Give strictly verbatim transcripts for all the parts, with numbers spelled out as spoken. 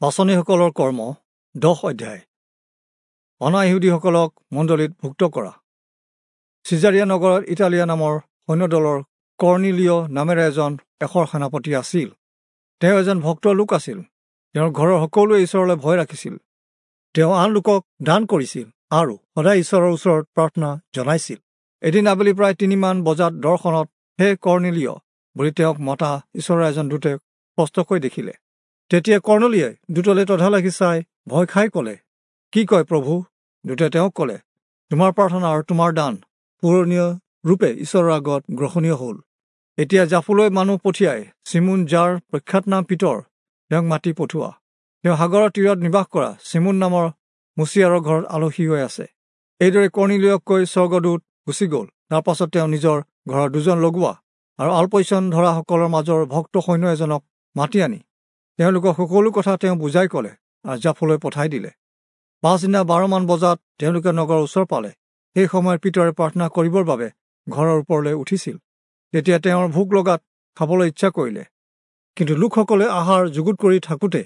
পাঁচনিসকলৰ কৰ্ম দহ অধ্যায়। অনা-ইহুদীসকলক মণ্ডলীত ভুক্ত কৰা। চিজাৰিয়া নগৰত ইটালীয়া নামৰ সৈন্যদলৰ কৰ্ণিলিয় নামেৰে এজন এশৰ সেনাপতি আছিল। তেওঁ এজন ভক্ত লোক আছিল। তেওঁৰ ঘৰৰ সকলোৱে ঈশ্বৰলৈ ভয় ৰাখিছিল। তেওঁ আন লোকক দান কৰিছিল আৰু সদায় ঈশ্বৰৰ ওচৰত প্ৰাৰ্থনা জনাইছিল। এদিন আবেলি প্ৰায় তিনিমান বজাত দৰ্শনত হে কৰ্ণিলিয় বুলি তেওঁক মতা ঈশ্বৰৰ এজন দূতে স্পষ্টকৈ দেখিলে। তেতিয়া কৰ্ণলিয়ে দূতলৈ তধা লাগি চাই ভয় খাই ক'লে, কি কয় প্ৰভু? দূতে তেওঁক ক'লে, তোমাৰ প্ৰাৰ্থনা আৰু তোমাৰ দান পূৰণীয় ৰূপে ঈশ্বৰৰ আগত গ্ৰহণীয় হ'ল। এতিয়া জাফলৈ মানুহ পঠিয়াই চিমোন, যাৰ প্ৰখ্যাত নাম পিতৰ, তেওঁক মাতি পঠোৱা। তেওঁ সাগৰৰ তীৰত নিবাস কৰা চিমোন নামৰ মুচিয়াৰৰ ঘৰত আলহী হৈ আছে। এইদৰে কৰ্ণিলিয়ক কৈ স্বৰ্গদূত গুচি গ'ল। তাৰ পাছত তেওঁ নিজৰ ঘৰৰ দুজন লগোৱা আৰু আলপৈচান ধৰাসকলৰ মাজৰ ভক্ত সৈন্য এজনক মাতি আনি তেওঁলোকক সকলো কথা তেওঁ বুজাই ক'লে আৰু জাফলৈ পঠাই দিলে। পাছদিনা বাৰমান বজাত তেওঁলোকে নগৰৰ ওচৰ পালে। সেই সময়ত পিতৰে প্ৰাৰ্থনা কৰিবৰ বাবে ঘৰৰ ওপৰলৈ উঠিছিল। তেতিয়া তেওঁৰ ভোক লগাত খাবলৈ ইচ্ছা কৰিলে। কিন্তু লোকসকলে আহাৰ যুগুত কৰি থাকোঁতে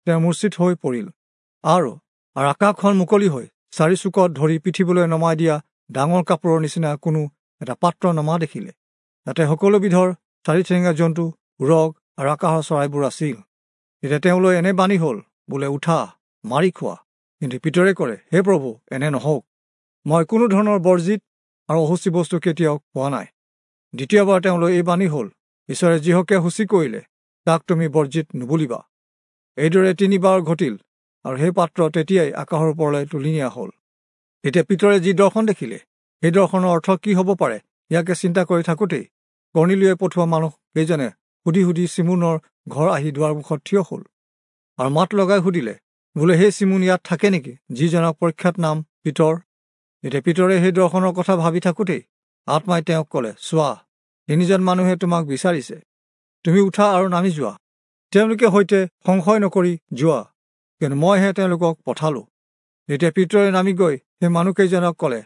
তেওঁ মূৰ্ছিত হৈ পৰিল আৰু আৰু আকাশখন মুকলি হৈ চাৰি চুকত ধৰি পৃথিৱীলৈ নমাই দিয়া ডাঙৰ কাপোৰৰ নিচিনা কোনো এটা পাত্ৰ নমা দেখিলে। তাতে সকলো বিধৰ চাৰিঠেঙীয়া জন্তু, উৰগ আৰু আকাশৰ চৰাইবোৰ আছিল। তেতিয়া তেওঁলৈ এনে বাণী হ'ল, বোলে, উঠা, মাৰি খোৱা। কিন্তু পিতৰে ক'লে, হে প্ৰভু, এনে নহওক। মই কোনো ধৰণৰ বৰ্জিত আৰু অশুচি বস্তু কেতিয়াও খোৱা নাই। দ্বিতীয়বাৰ তেওঁলৈ এই বাণী হ'ল, ঈশ্বৰে যিহকে সূচী কৰিলে তাক তুমি বৰ্জিত নুবুলিবা। এইদৰে তিনিবাৰ ঘটিল আৰু সেই পাত্ৰ তেতিয়াই আকাশৰ ওপৰলৈ তুলি নিয়া হ'ল। তেতিয়া পিতৰে যি দৰ্শন দেখিলে সেই দৰ্শনৰ অৰ্থ কি হ'ব পাৰে ইয়াকে চিন্তা কৰি থাকোঁতেই কৰ্ণিলিয়ে পঠোৱা মানুহ কেইজনে সুধি সুধি চিমোনৰ ঘৰ আহি দুৱাৰমুখত থিয় হ'ল আৰু মাত লগাই সুধিলে, বোলে, সেই চিমোন ইয়াত থাকে নেকি, যিজনক প্ৰখ্যাত নাম পিতৰ? এতিয়া পিতৰে সেই দৰ্শনৰ কথা ভাবি থাকোঁতেই আত্মাই তেওঁক ক'লে, চোৱা, তিনিজন মানুহে তোমাক বিচাৰিছে। তুমি উঠা আৰু নামি যোৱা, তেওঁলোকে সৈতে সংশয় নকৰি যোৱা, কিন্তু মইহে তেওঁলোকক পঠালোঁ। তেতিয়া পিতৰে নামি গৈ সেই মানুহকেইজনক ক'লে,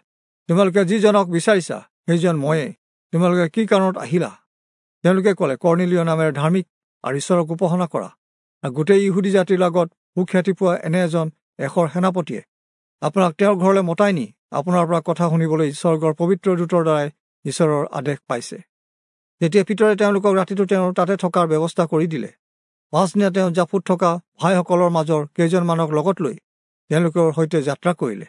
তোমালোকে যিজনক বিচাৰিছা সেইজন ময়েই। তোমালোকে কি কাৰণত আহিলা? তেওঁলোকে ক'লে, কৰ্ণিলিয় নামেৰে ধাৰ্মিক আৰু ঈশ্বৰক উপাসনা কৰা আৰু গোটেই ইহুদী জাতিৰ লগত সুখ্যাতি পোৱা এনে এজন এশৰ সেনাপতিয়ে আপোনাক তেওঁৰ ঘৰলৈ মতাই নি আপোনাৰ পৰা কথা শুনিবলৈ স্বৰ্গৰ পবিত্ৰ দূতৰ দ্বাৰাই ঈশ্বৰৰ আদেশ পাইছে। তেতিয়া পিতৰে তেওঁলোকক ৰাতিটো তেওঁৰ তাতে থকাৰ ব্যৱস্থা কৰি দিলে। পাছদিনা তেওঁ জাফুত থকা ভাইসকলৰ মাজৰ কেইজনমানক লগত লৈ তেওঁলোকৰ সৈতে যাত্ৰা কৰিলে।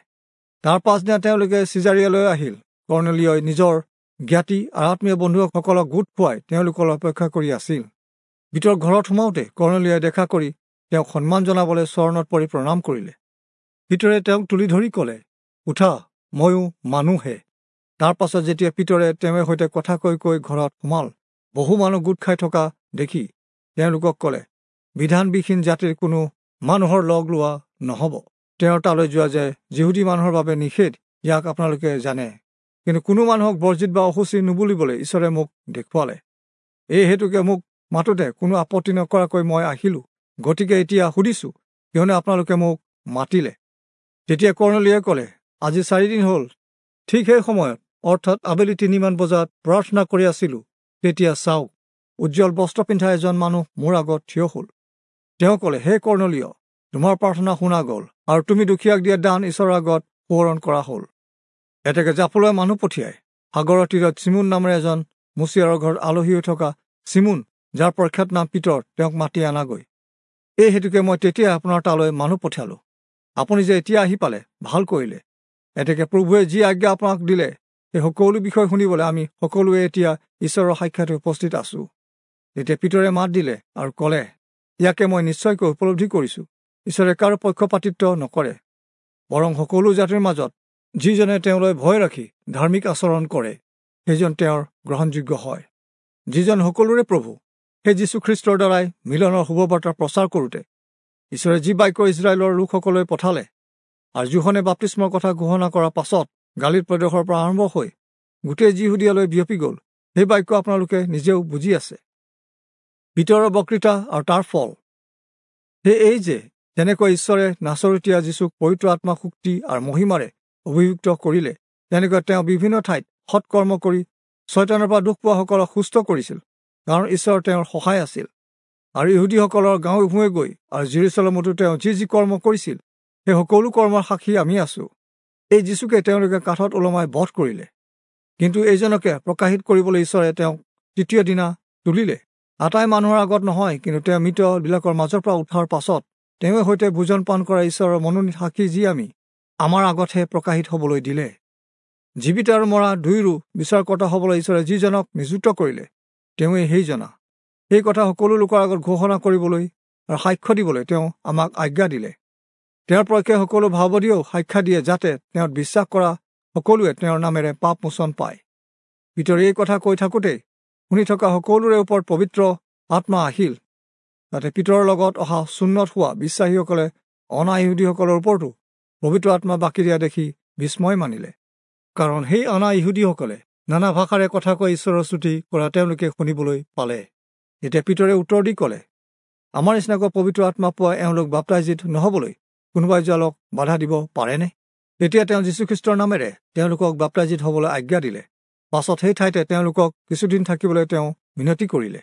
তাৰ পাছদিনা তেওঁলোকে চিজাৰিয়ালৈ আহিল। কৰ্ণিলিয়ই নিজৰ জ্ঞাতি আৰু আত্মীয় বন্ধুসকলক গোট খুৱাই তেওঁলোকৰ অপেক্ষা কৰি আছিল। পিতৰ ঘৰত সোমাওঁতে কৰ্ণিলিয়ই দেখা কৰি তেওঁক সন্মান জনাবলৈ চৰণত পৰি প্ৰণাম কৰিলে। পিতৰে তেওঁক তুলি ধৰি ক'লে, উঠা, ময়ো মানুহহে। তাৰ পাছত যেতিয়া পিতৰে তেওঁৰ সৈতে কথা কৈ কৈ ঘৰত সোমাল, বহু মানুহ গোট খাই থকা দেখি তেওঁলোকক ক'লে, বিধানবিহীন জাতিৰ কোনো মানুহৰ লগ লোৱা নহ'ব। তেওঁৰ তালৈ যোৱা যে যিহুদী মানুহৰ বাবে নিষেধ, ইয়াক আপোনালোকে জানে। কিন্তু কোনো মানুহক বৰ্জিত বা অশুচি নুবুলিবলৈ ঈশ্বৰে মোক দেখুৱালে। এই হেতুকে মোক মাতোঁতে কোনো আপত্তি নকৰাকৈ মই আহিলোঁ। গতিকে এতিয়া সুধিছোঁ, কিয়নো আপোনালোকে মোক মাতিলে। তেতিয়া কৰ্ণিলিয়ে ক'লে, আজি চাৰিদিন হ'ল, ঠিক সেই সময়ত, অৰ্থাৎ আবেলি তিনিমান বজাত প্ৰাৰ্থনা কৰি আছিলোঁ। তেতিয়া চাওক, উজ্জ্বল বস্ত্ৰ পিন্ধা এজন মানুহ মোৰ আগত থিয় হ'ল। তেওঁ ক'লে, হে কৰ্ণিলিয়, তোমাৰ প্ৰাৰ্থনা শুনা গ'ল আৰু তুমি দুখীয়াক দিয়া দান ঈশ্বৰৰ আগত সোঁৱৰণ কৰা হ'ল। এতেকে জাফলৈ মানুহ পঠিয়াই সাগৰৰ তীৰত চিমোন নামেৰে এজন মুচিয়াৰৰ ঘৰত আলহী হৈ থকা চিমোন, যাৰ প্ৰখ্যাত নাম পিতৰ, তেওঁক মাতি আনাগৈ। এই হেতুকে মই তেতিয়াই আপোনাৰ তালৈ মানুহ পঠিয়ালোঁ। আপুনি যে এতিয়া আহি পালে, ভাল কৰিলে। এতেকে প্ৰভুৱে যি আজ্ঞা আপোনাক দিলে সেই সকলো বিষয় শুনিবলৈ আমি সকলোৱে এতিয়া ঈশ্বৰৰ সাক্ষাতে উপস্থিত আছোঁ। তেতিয়া পিতৰে মাত দিলে আৰু ক'লে, ইয়াকে মই নিশ্চয়কৈ উপলব্ধি কৰিছোঁ, ঈশ্বৰে কাৰো পক্ষপাতিত্ব নকৰে, বৰং সকলো জাতিৰ মাজত যিজনে তেওঁলৈ ভয় ৰাখি ধাৰ্মিক আচৰণ কৰে সেইজন তেওঁৰ গ্ৰহণযোগ্য হয়। যিজন সকলোৰে প্ৰভু, সেই যীশুখ্ৰীষ্টৰ দ্বাৰাই মিলনৰ শুভবাৰ্তা প্ৰচাৰ কৰোঁতে ঈশ্বৰে যি বাক্য ইস্ৰায়েলৰ লোকসকললৈ পঠালে আৰু যোহনে বাপ্তিস্মৰ কথা ঘোষণা কৰাৰ পাছত গালিল প্ৰদেশৰ পৰা আৰম্ভ হৈ গোটেই যিহুদীয়ালৈ বিয়পি গ'ল, সেই বাক্য আপোনালোকে নিজেও বুজি আছে। পিতৰৰ বক্তৃতা আৰু তাৰ ফল সেই এই যে, যেনেকৈ ঈশ্বৰে নাচৰতীয়া যীশুক পবিত্ৰ আত্মা শক্তি আৰু মহিমাৰে অভিযুক্ত কৰিলে, তেনেকৈ তেওঁ বিভিন্ন ঠাইত সৎকৰ্ম কৰি ছয়তানৰ পৰা দুখ পোৱাসকলক সুস্থ কৰিছিল, কাৰণ ঈশ্বৰ তেওঁৰ সহায় আছিল। আৰু ইহুদীসকলৰ গাঁৱে ভূঞে গৈ আৰু জিৰচালেমতো তেওঁ যি যি কৰ্ম কৰিছিল সেই সকলো কৰ্মৰ সাক্ষী আমি আছো। এই যীশুকে তেওঁলোকে কাঠত ওলমাই বধ কৰিলে, কিন্তু এইজনকে প্ৰকাশিত কৰিবলৈ ঈশ্বৰে তেওঁক তৃতীয় দিনা তুলিলে। আটাই মানুহৰ আগত নহয়, কিন্তু তেওঁ মৃতবিলাকৰ মাজৰ পৰা উঠাৰ পাছত তেওঁৱে সৈতে ভোজন পান কৰা ঈশ্বৰৰ মনোনীত সাক্ষী যি আমি, আমাৰ আগতহে প্ৰকাশিত হ'বলৈ দিলে। জীৱিত আৰু মৰা দুয়োৰো বিচাৰকৰ্তা হ'বলৈ ঈশ্বৰে যিজনক নিযুক্ত কৰিলে তেওঁৱেই সেইজনা। সেই কথা সকলো লোকৰ আগত ঘোষণা কৰিবলৈ আৰু সাক্ষ্য দিবলৈ তেওঁ আমাক আজ্ঞা দিলে। তেওঁৰ পক্ষে সকলো ভাৱবাদীয়েও সাক্ষা দিয়ে, যাতে তেওঁত বিশ্বাস কৰা সকলোৱে তেওঁৰ নামেৰে পাপ মোচন পায়। পিতৰে এই কথা কৈ থাকোঁতেই শুনি থকা সকলোৰে ওপৰত পবিত্ৰ আত্মা আহিল। তাতে পিতৰৰ লগত অহা চুন্নত হোৱা বিশ্বাসীসকলে অনা ইহুদীসকলৰ ওপৰতো পবিত্ৰ আত্মা বাকি দিয়া দেখি বিস্ময় মানিলে, কাৰণ সেই অনা ইহুদীসকলে নানা ভাষাৰে কথা কৈ ঈশ্বৰৰ স্তুতি কৰা তেওঁলোকে শুনিবলৈ পালে। তেতিয়া পিতৰে উত্তৰ দি ক'লে, আমাৰ নিচিনাকৈ পবিত্ৰ আত্মা পোৱা এওঁলোক বাপ্তাইজিত নহ'বলৈ কোনোবাই যোৱালক বাধা দিব পাৰেনে? তেতিয়া তেওঁ যীশুখ্ৰীষ্টৰ নামেৰে তেওঁলোকক বাপ্তাইজিত হ'বলৈ আজ্ঞা দিলে। পাছত সেই ঠাইতে তেওঁলোকক কিছুদিন থাকিবলৈ তেওঁ মিনতি কৰিলে।